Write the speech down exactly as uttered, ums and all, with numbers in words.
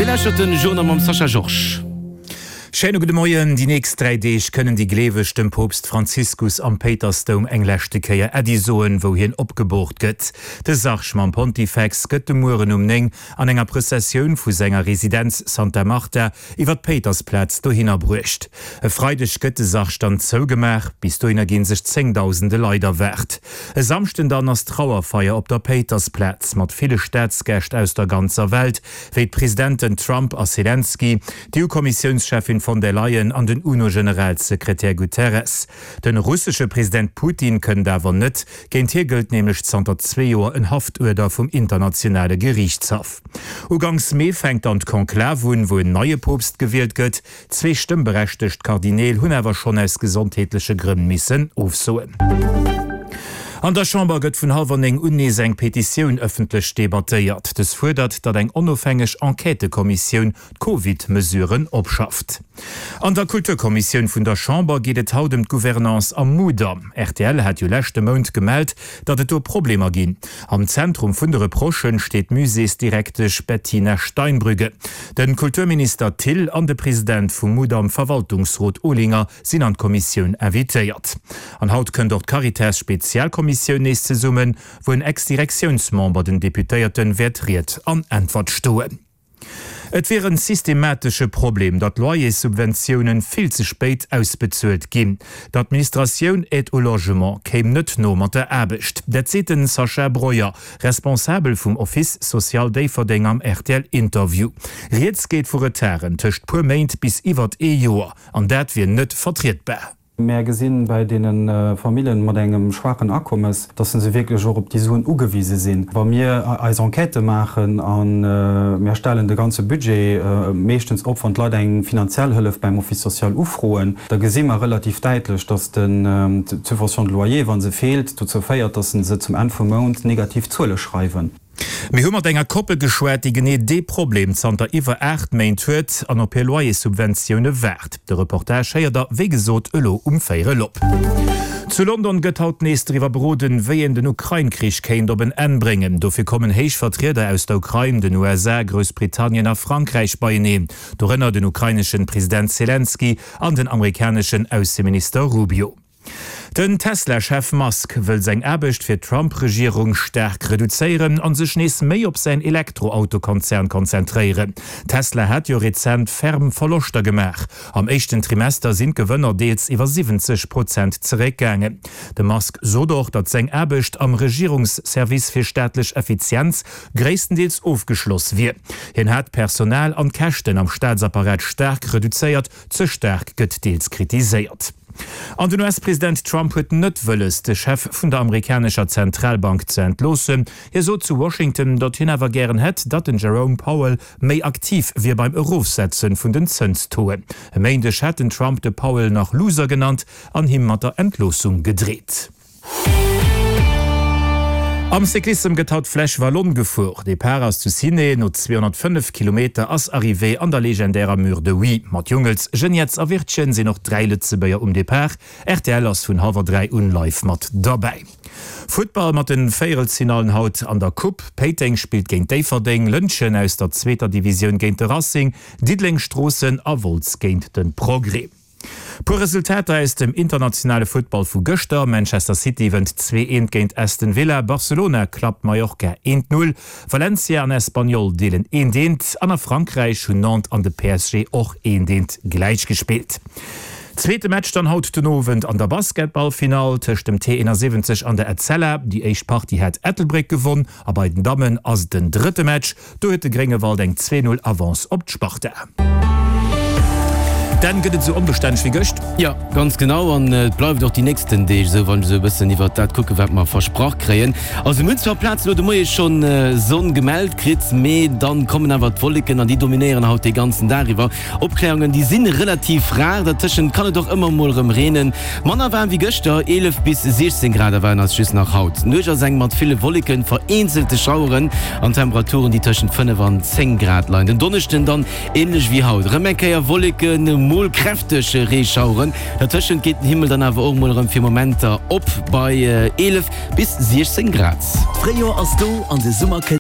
Dir lauschtert den Journal mam Sascha Georges. Schéine gudde Moien. Déi nächst dräi Deeg kënnen déi Gleeweg dem Poopst Franziskus am Péitersdoum eng leschte Kéier Äddi soen, wou hien opgeboort gëtt. De Sarg mam Pontifex gëtt de Mueren um néng an enger Prëssessioun vu senger Residenz Santa Marta iwwer d'Péitersplaz dohinner bruecht. E Freideg gëtt de Sarg dann zougemaach. Bis dohinner gi sech zéngdausende Leit erwaart. E Samschden dann ass Trauerfeier op der Péitersplaz mat ville Staatsgäscht aus der ganzer Welt, wéi d'Presidenten Trump a Selenskyj, d'EU-Kommissiounscheffin von der Leyen an den UNO-Generalsekretär Guterres. De russesche President Putin kënnt awer net, géint hie gëllt nämlech zanter zwee Joer en Haftuerder vum internationale Geriichtshaff. Uganks Mee fänkt dann d'Konklav un, wou en neie Poopst gewielt gëtt. Zwee stëmmberechtegt Kardineel hunn awer schonn aus gesondheetleche Grënn missen ofsoen. An der Chamber gëtt vun hallwer néng un nees eng Petitioun ëffentlech debattéiert. Dës fuerdert, datt eng onofhängeg Enquêtëkommissioun d'Covid-Mesuren opschafft. An der Kulturkommissioun vun der Chamber geet et haut ëm d'Gouvernance am Mudam. Rtl hat jo leschte Mount gemellt, datt et do Problemer ginn. Am Zentrum vun de Reprochë steet d'Muséesdirektesch Bettina Steinbrügge. De Kulturminister Thill an de President vum Mudam-Verwaltungsrot Olinger sinn an d'Kommissioun invitéiert. An haut kënnt och d'Caritas-Spezialkommissioun nees zesummen, wou en Ex-Direktiounsmember den Deputéierte wäert Ried an Äntwert stoen. Et wier en systematesche Problem, datt Loyerssubventiounen vill ze spéit ausbezuelt ginn. D'Administratioun Aide au logement kéim net no mat der Aarbecht. Dat seet den Sacha Breuer, Responsabel vum Office social Déifferdeng am R T L Interview. Rieds geet vu Retarden tëscht puer Méint bis iwwert ee Joer, an dat wier net vertrietbar. Mär gesinn bei deene Famillen mat engem schwaachen Akommes, dass se wierklech och op déi Suen ugewise sinn. Wa mir eis Enquêtë maachen a mir stellen de ganze Budget meeschtens op, wann d'Leit eng finanziell Hëllef beim Office social ufroen, da gesi mer relativ däitlech, dass d'Subvention de loyer, wa se feelt, dozou féiert, dass se zum Enn vum Mount negativ Zuele schreiwen. Mir hu mat enger Koppel geschwat, déi genee dee Problem zanter iwwer aacht Méint huet an op hir Loyerssubventioune waart. De Reportage héiert der, wéi gesot, elo um Véierel op. Zu London gëtt haut nees driwwer beroden, wéi een den Ukrain-Krich kéint op en Enn bréngen. Dofir kommen héich Vertrieder aus der Ukrain, den U S A, Groussbritannien a Frankräich beieneen. Dorënner den ukraineschen President Selenskyj an den amerikaneschen Ausseminister Rubio. Den Tesla-Chef Musk wëll seng Aarbecht fir d'Trump-Regierung staark reduzéieren an sech nees méi op säin Elektroautokonzern konzentréieren. Tesla hat jo rezent ferm Verloschter gemaach. Am éischten Trimester sinn d'Gewënner deels iwwer siwwenzeg Prozent zeréckgaangen. De Musk sot och, datt seng Aarbecht am Regierungsservice fir staatlech Effizienz gréisstendeels ofgeschloss wier. Hien hat d'Personal an d'Käschten am Staatsapparat staark reduzéiert, ze staark gëtt deels kritiséiert. An den U S-President Trump huet net wëlles, de Chef vun der amerikanescher Zentralbank ze entloossen. Hie sot zu Washington, datt hien awer gären hätt, datt den Jerome Powell méi aktiv wier beim Erofsetze vun den Zënstoen. E Méindeg hat den Trump de Powell nach Loser genannt an him mat der Entloossung gedreet. Am Cyclissem gëtt haut d'Flèche Wallonne gefuer. Depart ass zu Ciney, no zweehonnertfënnef Kilometer ass Arrivée an der legendärer Mur de Huy. Mat Jungels, Geniets a Wirtgen sinn och dräi Lëtzebuerger um Depart. R T L ass vun hallwer dräi un live mat derbäi. Futtball mat de Véierelsfinallen haut an der Coupe. Péiteng spillt géint Déifferdeng, Lëntgen aus der zweeter Divisioun géint de Racing, Diddeleng, Stroossen a Wolz géint de Progrès. Puer Resultater aus dem internationale Futtball vu gëschter, Manchester City wënnt zwee eent géint Aston Villa, Barcelona klappt Mallorca eent null, Valencia an Espanyol deelen eent eent an a Frankräich hunn Nantes an de P S G och eent eent gläich gespillt. Zweete Match dann haut den Owend an der Basketballfinall tëscht dem T siwwenensiwwenzeg an der Etzella. Déi éischt Partie hat Ettelbréck gewonn a bei den Dammen ass et den drëtte Match. Do huet de Gréngewald eng zwee null Avance op d'Sparta. Dann gëtt et sou onbestänneg wéi gëscht. Jo, ganz genau, an et bleift och déi nächsten Deeg esou, wann ech esou e bëssen iwwert dat kucken, wat mer versprach kréien. Also mir hunn zwar Plazen elo de Moie schonn Sonn gemellt kritt, mee dann kommen awer d'Wolleken an déi dominéieren haut dee ganzen Dag iwwer. Opkläerungen, déi si relativ rar, dertëschent kann et och ëmmer mol erëm reenen. Manner waarm wéi gëschter, eelef bis siechzéng Grad erwaarden eis just nach haut. D'Nuecht ass eng mat ville Wolleken, vereenzelte Schaueren an Temperaturen, déi tëschent fënnef an zéng Grad leien. Den Donneschden dann änlech wéi haut, erëm eng Kéier Wolleken, mol kräfteg Reeschaueren. Dertëschent geet den Himmel dann awer och mol erëm fir Momenter op bei eelef bis siechzéng Grad. D'Fréijoer ass do an de Summer kënnt.